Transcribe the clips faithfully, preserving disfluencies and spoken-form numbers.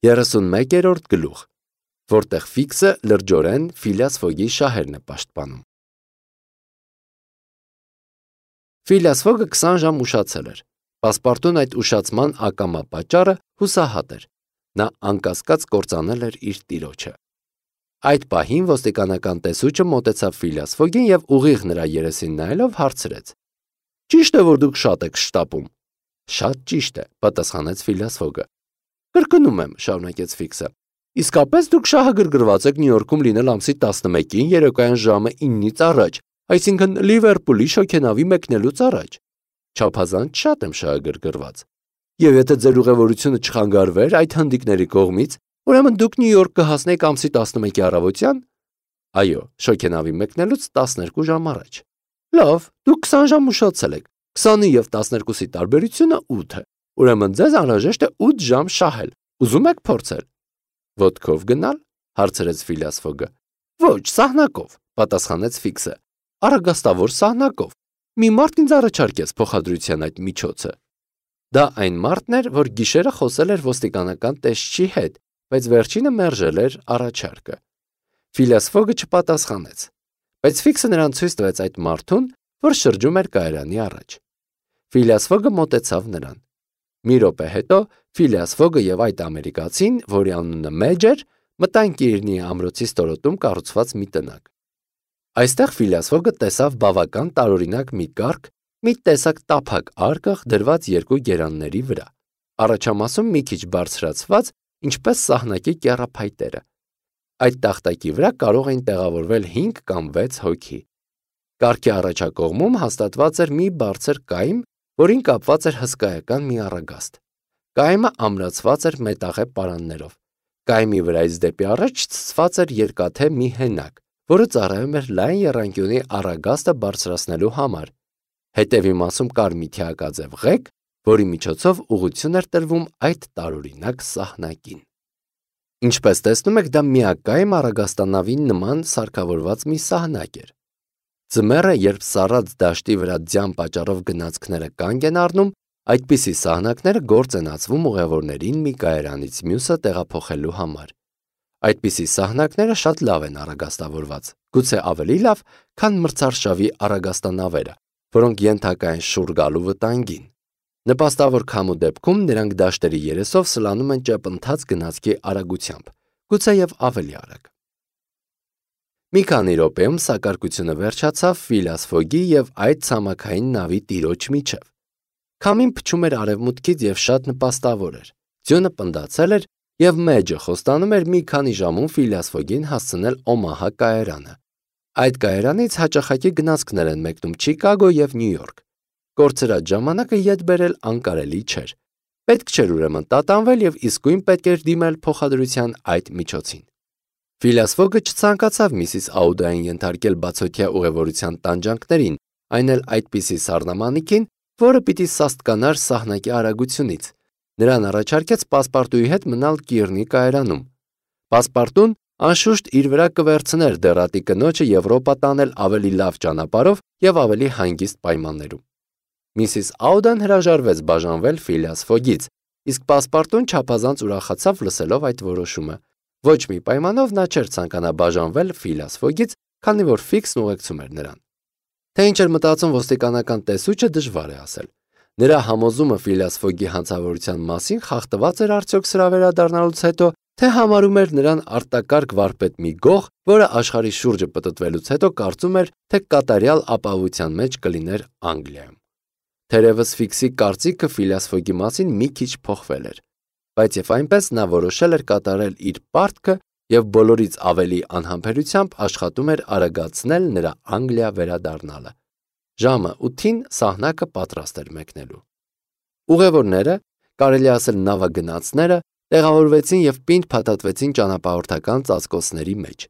երեսունմեկերորդ գլուխ, որտեղ Ֆիքսը լրջորեն Ֆիլիաս Ֆոգի շահերն է պաշտպանում։ Ֆիլիաս Ֆոգը քսան ժամ ուշացել էր։ Պասպարտուն այդ ուշացման ակամա պատճառը հուսահատ էր։ Նա անկասկած կործանել էր իր տիրոջը։ Այդ պահին ոստիկանական տեսուչը մոտեցավ Ֆիլիաս Ֆոգին եւ ուղիղ նրա երեսին նայելով հարցրեց. «Ճիշտ է, որ դուք շատ եք շտապում»։ «Շատ ճիշտ է», պատասխանեց Ֆիլիաս Ֆոգը։ «Կրկնում եմ», շարունակեց Ֆիքսը։ «Իսկապես դուք շահագրգռված եք Նյու Յորքում լինել ամսի տասնմեկին երեկոյան ժամը ինից առաջ, այսինքն Լիվերպուլի շոգենավի մեկնելուց առաջ»։ «Չափազանց շատ եմ շահագրգռված։ Եվ եթե ձեր ուղևորությունը չխանգարվեր այդ հնդիկների կողմից, ուրեմն դուք Նյու Յորք կհասնեիք ամսի տասնմեկի առավոտյան»։ «Այո, շոգենավի մեկնելուց տասներկու ժամ առաջ»։ «Լավ, դուք քսան ժամ ուշացել եք։ քսանի և տասներկուսի տարբերությունը ութ է։ Ուրեմն ձեզ անհրաժեշտ է ութ ժամ շահել։ Ուզում եք փորձել»։ «Ոտքով գնալ»։ հարցրեց Ֆիլիաս Ֆոգը։ «Ոչ, սահնակով», պատասխանեց Ֆիքսը։ «Արագաստավոր սահնակով։ Մի մարդ ինձ առաջարկեց փոխադրության այդ միջոցը»։ Դա այն մարդն էր, որ գիշերը խոսել էր ոստիկանական տեսչի հետ, բայց վերջինը մերժել էր առաջարկը։ Ֆիլիաս Ֆոգը չպատասխանեց, բայց Ֆիքսը նրան ցույց տվեց այդ մարդուն, որ շրջում էր կայարանի առաջ։ Ֆիլիաս Ֆոգը մոտեցավ նրան։ Մի րոպե հետո Ֆիլիաս Ֆոգը եւ այդ ամերիկացին, որի անունը Մեջ էր, մտան Կիրնի ամրոցի ստորոտում կառուցված մի տնակ։ Այստեղ Ֆիլիաս Ֆոգը տեսավ բավական տարօրինակ մի կառք, մի տեսակ տափակ արկղ դրված երկու գերանների վրա, առաջամասում մի քիչ բարձրացված, ինչպես սահնակի կեռափայտերը։ Այդ տախտակի վրա կարող էին տեղավորվել հինգ կամ վեց հոգի։ Կառքի առաջակողմում հաստատված էր մի բարձր կայմ, որին կապված էր հսկայական մի առագաստ։ Կայմը ամրացված էր մետաղե պարաններով։ Կայմի վրայից դեպի առաջ ցցված էր երկաթե մի հենակ, որը ծառայում էր լայն եռանկյունի առագաստը բարձրացնելու համար։ Հետևի մասում կար մի թիակաձև ղեկ, որի միջոցով ուղղություն էր տրվում այդ տարօրինակ սահնակին։ Ինչպես տեսնում եք, դա միակայմ առագաստանավին նման սարքավորված մի սահնակ էր։ Ձմեռը, երբ սառած դաշտի վրա ձյան պատճառով գնացքները կանգ են առնում, այդպիսի սահնակները գործ են ածվում ուղևորներին մի կայարանից մյուսը տեղափոխելու համար։ Այդպիսի սահնակները շատ լավ են առագաստավորված, գուցե ավելի լավ, քան մրցարշավի առագաստանավերը, որոնք ենթակա են շուռ գալու վտանգին։ Նպաստավոր քամու դեպքում նրանք դաշտերի երեսով սլանում են ճեպընթաց գնացքի արագությամբ, գուցեև ավելի արագ։ Մի քանի րոպեում սակարկությունը վերջացավ Ֆիլիաս Ֆոգի և այդ ցամաքային նավի տիրոջ միջև։ Քամին փչում էր արևմուտքից և շատ նպաստավոր էր։ Ձյունը պնդացել էր, և Մեջը խոստանում էր մի քանի ժամում Ֆիլիաս Ֆոգին հասցնել Օմահա կայարանը։ Այդ կայարանից հաճախակի գնացքներ են մեկնում Չիկագո և Նյու Յորք։ Կորցրած ժամանակը ետ բերել անկարելի չէր։ Պետք չէր ուրեմն տատանվել և իսկույն պետք էր դիմել փոխադրության այդ միջոցին։ Ֆիլիաս Ֆոգը չցանկացավ Միսիս Աուդային ենթարկել բացօթյա ուղևորության տանջանքներին, այն էլ այդպիսի սառնամանիքին, որը պիտի սաստկանար սահնակի արագությունից։ Նրան առաջարկեց Պասպարտուի հետ մնալ Կիրնի կայարանում։ Պասպարտուն անշուշտ իր վրա կվերցներ դեռատի կնոջը Եվրոպա տանել ավելի լավ ճանապարհով և ավելի հանգիստ պայմաններում։ Միսիս Աուդան հրաժարվեց բաժանվել Ֆիլիաս Ֆոգից, իսկ Պասպարտուն չափազանց ուրախացավ լսելով այդ որոշումը։ Ոչ մի պայմանով նա չէր ցանկանա բաժանվել Ֆիլիաս Ֆոգից, քանի որ Ֆիքսն ուղեկցում էր նրան։ Թե ինչ էր մտածում ոստիկանական տեսուչը դժվար է ասել։ Նրա համոզումը Ֆիլիաս Ֆոգի հանցավորության մասին խախտված էր արդյոք սրա վերադառնալուց հետո, թե համարում էր նրան արտակարգ վարպետ մի գող, որը աշխարհի շուրջը պտտվելուց հետո կարծում էր, թե կատարյալ ապահովության մեջ կլիներ Անգլիայում։ Թերևս Ֆիքսի կարծիքը Ֆիլիաս Ֆոգի մասին մի քիչ փոխվել էր, բայց եւ այնպես նա որոշել էր կատարել իր պարտքը եւ բոլորից ավելի անհամբերությամբ աշխատում էր արագացնել նրա Անգլիա վերադառնալը։ Ժամը ութին սահնակը պատրաստ էր մեկնելու։ Ուղևորները, կարելի ասել նավագնացները, տեղավորվեցին եւ պինդ փաթաթվեցին ճանապարհորդական ծածկոցների մեջ։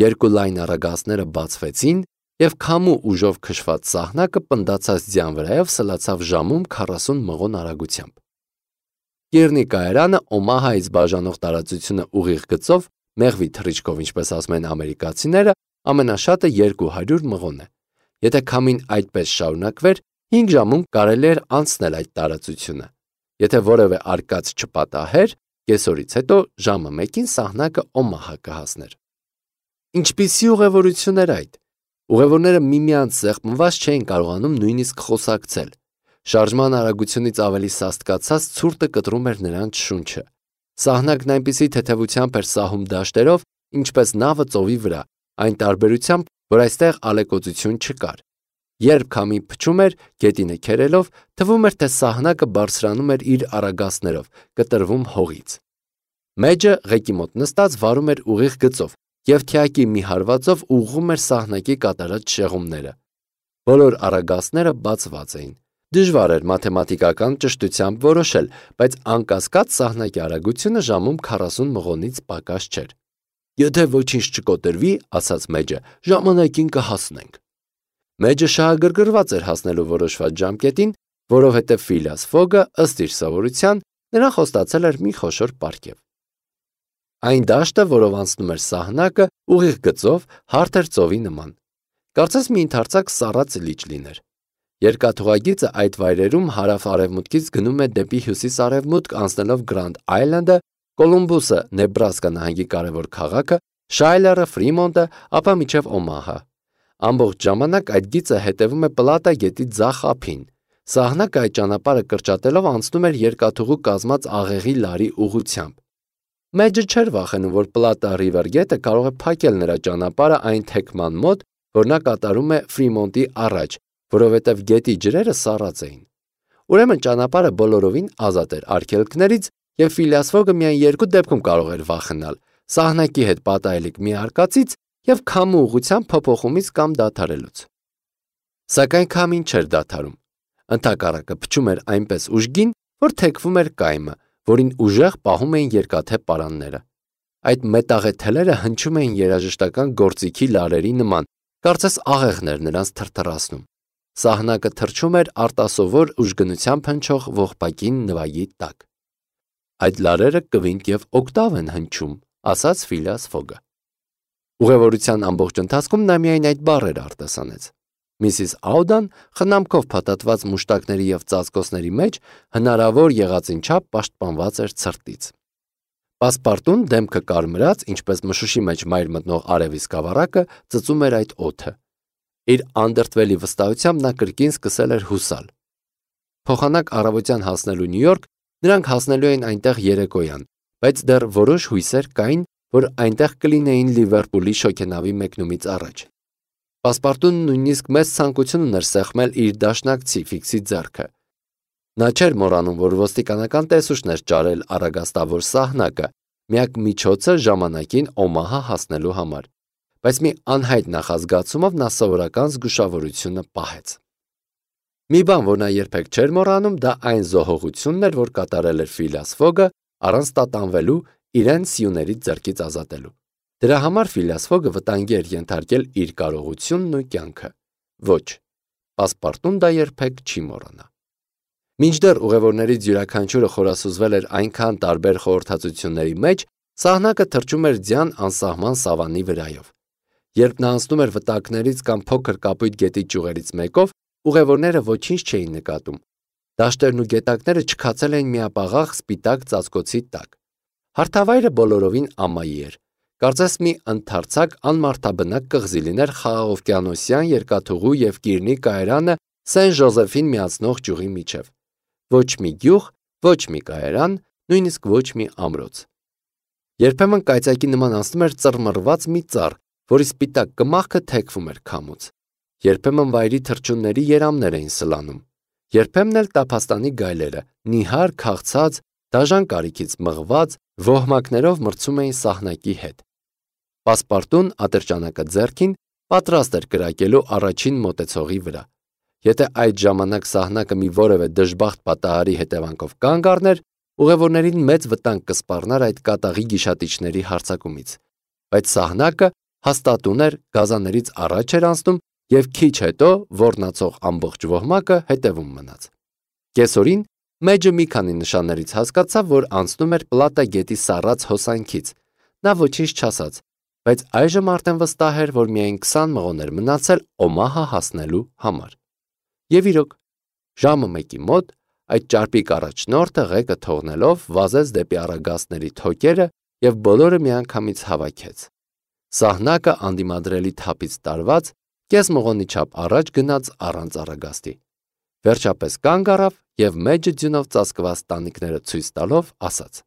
Երկու լայն առագաստները բացվեցին եւ քամու ուժով քշված սահնակը պնդացած ձյան վրայով սլացավ ժամում քառասուն մղոն արագությամբ։ Կիրնի կայարանը Օմահայից բաժանող տարածությունը ուղիղ գծով, մեղվի թռիչքով, ինչպես ասում են ամերիկացիները, ամենաշատը երկու հարյուր մղոն է։ Եթե քամին այդպես շարունակվեր, հինգ ժամում կարելի էր անցնել այդ տարածությունը։ Եթե որևէ արկած չպատահեր, Կեսօրից հետո ժամը մեկին սահնակը Օմահա կհասներ։ Ինչպիսի ուղևորություն էր այդ։ Ուղևորները միմյանց սեղմված չէին կարողանում նույնիսկ խոսակցել։ Շարժման արագությունից ավելի սաստկացած ցուրտը կտրում էր նրանց շունչը։ Սահնակն այնպիսի թեթևությամբ էր սահում դաշտերով, ինչպես նավը ծովի վրա, այն տարբերությամբ, որ այստեղ ալեկոծություն չկար։ Երբ քամին փչում էր, գետինը քերելով, թվում էր, թե սահնակը բարձրանում էր իր արագածներով, կտրվում հողից։ Մեջը ղեկի մոտ նստած վարում էր ուղիղ գծով և թիակի մի հարվածով ուղղում էր սահնակի կատարած շեղումները։ Բոլոր արագածները բացված էին։ Դժվար էր մաթեմատիկական ճշտությամբ որոշել, բայց անկասկած սահնակի արագությունը ժամում քառասուն մղոնից պակաս չէր։ Եթե ոչինչ չկոտրվի, ասաց Մեջը, ժամանակին կհասնենք։ Մեջը շահագրգռված էր հասնելու որոշված ժամկետին, որովհետև Ֆիլիաս Ֆոգը, ըստ իր սովորության, նրան խոստացել էր մի խոշոր պարգև։ Այն դաշտը, որով անցնում էր սահնակը, ուղիղ գծով, հարթ էր ծովի նման։ Կարծես մի ընդարձակ սառած լիճ լիներ։ Երկաթուղագիծը այդ վայրերում հարավ-արևմուտքից գնում է դեպի հյուսիս-արևմուտք, անցնելով Գրանդ Այլանդը, Կոլումբուսը, Նեբրասկա նահանգի կարևոր քաղաքը, Շայլերը, Ֆրիմոնտը, ապա մինչև Օմահա։ Ամբողջ ժամանակ այդ գիծը հետևում է Պլատա գետի ձախ ափին։ Սահնակը այդ ճանապարհը կրճատելով անցնում էր երկաթուղու կազմած աղեղի լարի ուղղությամբ։ Մեջը չէր վախենում, որ Պլատա Ռիվեր գետը կարող է փակել նրա ճանապարհը այն թեքման մոտ, որ նա կատարում է Ֆրիմոնտի առաջ, որովհետև գետի ջրերը սառած էին։ Ուրեմն ճանապարհը բոլորովին ազատ էր արգելքներից, և Ֆիլիաս Ֆոգը միայն երկու դեպքում կարող էր վախենալ՝ սահնակի հետ պատահելիք մի արկածից և քամու ուղղության փոփոխումից կամ դադարելուց։ Սակայն քամին չէր դադարում։ Ընդհակառակը փչում էր այնպես ուժգին, որ թեքվում էր կայմը, որին ուժեղ պահում էին երկաթե պարանները։ Այդ մետաղե թելերը հնչում էին երաժշտական գործիքի լարերի նման, կարծես աղեղներ նրանց թրթռացնում։ Սահնակը թռչում էր արտասովոր ուժգնությամբ հնչող ողբակին նվագի տակ։ Այդ լարերը կվինտ և օկտավ են հնչում, ասաց Ֆիլիաս Ֆոգը։ Ուղևորության ամբողջ ընթացքում նա միայն այդ բառերը արտասանեց։ Միսիս Աուդան խնամքով փաթաթված մուշտակների և ծածկոցների մեջ հնարավոր եղածին չափ պաշտպանված էր ցրտից։ Պասպարտուն դեմքը կարմրած, ինչպես մշուշի մեջ մայր մտնող արևի սկավառակը, ծծում էր այդ օդը։ Իր անդրդվելի վստահությամբ նա կրկին սկսել էր հուսալ։ Փոխանակ առավոտյան հասնելու Նյու Յորք նրանք հասնելու էին այնտեղ երեկոյան, բայց դեռ որոշ հույսեր կային, որ այնտեղ կլինեին Լիվերպուլի շոգենավի մեկնումից առաջ։ Պասպարտուն նույնիսկ մեծ ցանկություն ուներ սեղմել իր դաշնակցի Ֆիքսի ձեռքը։ Նա չէր մոռանում, որ ոստիկանական տեսուչն էր ճարել առագաստավոր սահնակը, միակ միջոցը ժամանակին Օմահա հասնելու համար, բայց մի անհայտ նախազգացումով նա սովորական զգուշավորությունը պահեց։ Մի բան, որ նա երբեք չէր մոռանում, դա այն զոհողությունն էր, որ կատարել էր Ֆիլիաս Ֆոգը, առանց տատանվելու, իրեն սյուներից ձեռքից ազատելու։ Դրա համար Ֆիլիաս Ֆոգը վտանգի էր ենթարկել իր կարողությունն ու կյանքը։ Ոչ, Պասպարտուն դա երբեք չի մոռանա։ Մինչդեռ ուղևորներից յուրաքանչյուրը խորասուզվել էր այնքան տարբեր խորհրդածությունների մեջ, սահնակը թռչում էր ձյան անսահման սավանի վրայով։ Երբ նա անցնում էր վտակներից կամ փոքր կապույտ գետի ճյուղերից մեկով, ուղևորները ոչինչ չէին նկատում։ Դաշտերն ու գետակները չքացել էին միապաղաղ սպիտակ ծածկոցի տակ։ Հարթավայրը բոլորովին ամայի էր։ Կարծես մի ընդարձակ անմարդաբնակ կղզի լիներ խաղաղօվկիանոսյան երկաթուղու և Կիրնի կայարանը Սեն Ժոզեֆին միացնող ճյուղի միջև։ Ոչ մի գյուղ, ոչ մի կայարան, նույնիսկ ոչ մի ամրոց։ Երբեմն կայծակի նման անցնում էր ծռմռված մի ծառ, որի սպիտակ կմախքը թեքվում էր քամուց։ Երբեմն վայրի թռչունների երամներ էին սլանում։ Երբեմն էլ տափաստանի գայլերը, նիհար քաղցած, դաժան կարիքից մղված, ոհմակներով մրցում էին սահնակի հետ։ Պասպարտուն ատրճանակը ձեռքին պատրաստ էր կրակելու առաջին մոտեցողի վրա։ Եթե այդ ժամանակ սահնակը մի որևէ դժբախտ պատահարի հետևանքով կանգ առներ, ուղևորներին մեծ վտանգ կսպառնար այդ կատաղի գիշատիչների հարձակումից։ Բայց սահնակը հաստատուն էր, գազաներից առաջ էր անցնում և քիչ հետո ոռնացող ամբողջ ոհմակը հետևում մնաց։ Կեսօրին Մեջը մի քանի նշաններից հասկացավ, որ անցնում էր Պլատա գետի սառած հոսանքից։ Նա ոչինչ չասաց, բայց այժմ արդեն վստահ էր, որ միայն քսան մղոն էր մնացել Օմահա հասնելու համար։ Եվ իրոք, ժամը մեկի մոտ այդ ճարպիկ առաջնորդը ղեկը թողնելով վազեց դեպի առագաստների թոկերը և բոլորը միանգամից հավաքեց։ Սահնակը անդիմադրելի թափից տարված կես մղոնի չափ առաջ գնաց առանց առագաստի։ Վերջապես կանգ առավ և մեջը ձյունով ծածկված տանիքները ցույց տալով ասաց.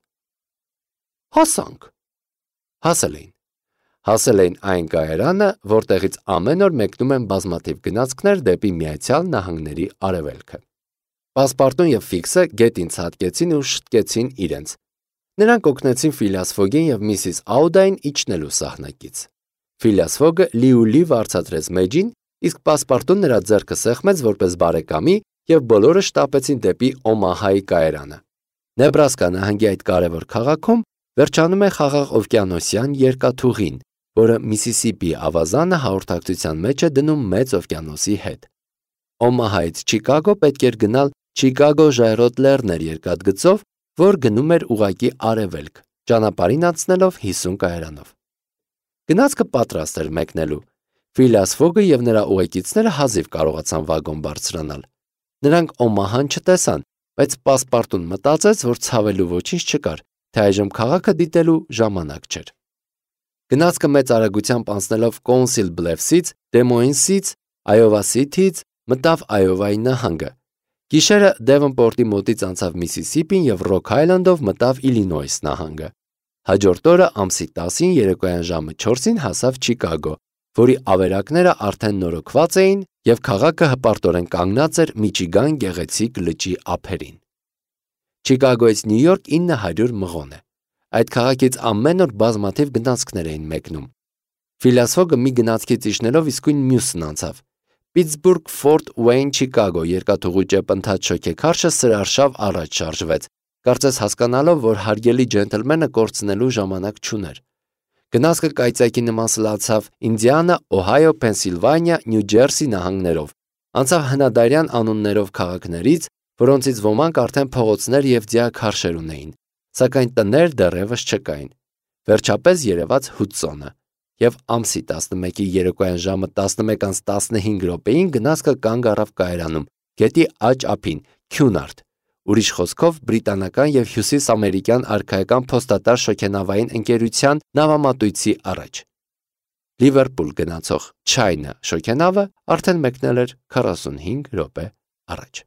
«Հասանք»։ Հասել էին։ Հասել էին այն կայարանը, որտեղից ամեն օր մեկնում են բազմաթիվ գնացքներ դեպի Միացյալ Նահանգների արևելքը։ Պասպարտուն և Ֆիքսը գետին ցատկեցին ու շտկեցին իրենց։ Նրանք օգնեցին Ֆիլիաս Ֆոգին և միսիս Աուդային իջնելու սահնակից։ Ֆիլիաս Ֆոգը լիուլի վարձատրեց մեջին, իսկ Պասպարտուն նրա ձեռքը սեղմեց որպես բարեկամի և բոլորը շտապեցին դեպի Օմահայի կայարանը։ Նեբրասկա նահանգի այդ կարևոր քաղաքում վերջանում է Խաղաղ օվկիանոսյան երկաթուղին, որը Միսիսիպի ավազանը հաղորդակցության մեջ է դնում Մեծ օվկիանոսի հետ։ Օմահայից Չիկագո պետք էր գնալ Չիկագո-Ժայռոտ Լեռներ երկաթգծով, որ գնում էր ուղղակի արևելք, ճանապարհին անցնելով հիսուն կայարանով։ Գնացքը պատրաստ էր մեկնելու։ Ֆիլիաս Ֆոգը և նրա ուղեկիցները հազիվ կարողացան վագոն բարձրանալ։ Նրանք Օմահան չտեսան, բայց Պասպարտուն մտածեց, որ ցավելու ոչինչ չկար, թե այժմ քաղաքը դիտելու ժամանակ չէր։ Գնացքը մեծ արագությամբ անցնելով Կոունսիլ Բլեֆսից, Դեմոինսից, Այովա Սիթիից մտավ Այովայի նահանգը։ Գիշերը Դևոնպորտի մոտից անցավ Միսիսիպին և Ռոք Այլանդով մտավ Իլինոյս նահանգը։ Հաջորդ օրը ամսի տասին երեկոյան ժամը չորսին հասավ Չիկագո, որի ավերակները արդեն նորոգված էին և քաղաքը հպարտորեն կանգնած էր Միչիգան գեղեցիկ լճի ափերին։ Չիկագոյից Նյու Յորք ինը հարյուր մղոն է։ Այդ քաղաքից ամեն օր բազմաթիվ գնացքներ էին մեկնում։ Ֆիլիաս Ֆոգը մի գնացքից իջնելով իսկույն մյուսն անցավ։ Պիտսբուրգ, Ֆորտ Ուեյն, Չիկագո երկաթուղու ճեպընթաց շոգեքարշը սրարշավ առաջ շարժվեց, կարծես հասկանալով, որ հարգելի ջենտլմենը կորցնելու ժամանակ չուներ։ Գնացքը կայծակի նման սլացավ Ինդիանա, Օհայո, Փենսիլվանիա, Նյու Ջերսի նահանգներով, անցավ հնադարյան անուններով քաղաքներից, որոնցից ոմանք արդեն փողոցներ և դիակարշեր ունեին, սակայն տներ դեռևս չկային։ Վերջապես երևաց Հուդսոնը, և ամսի տասնմեկի երեկոյան ժամը տասնմեկ անց տասնհինգ րոպեին գնացքը կանգ առավ կայարանում, գետի աջ ափին, Քյունարդ, ուրիշ խոսքով բրիտանական և հյուսիսամերիկյան արքայական փոստատար շոգենավային ընկերության նավամատույցի առաջ։ Լիվերպուլ գնացող Չայնա շոգենավը արդեն մեկնել էր քառասունհինգ րոպե առաջ։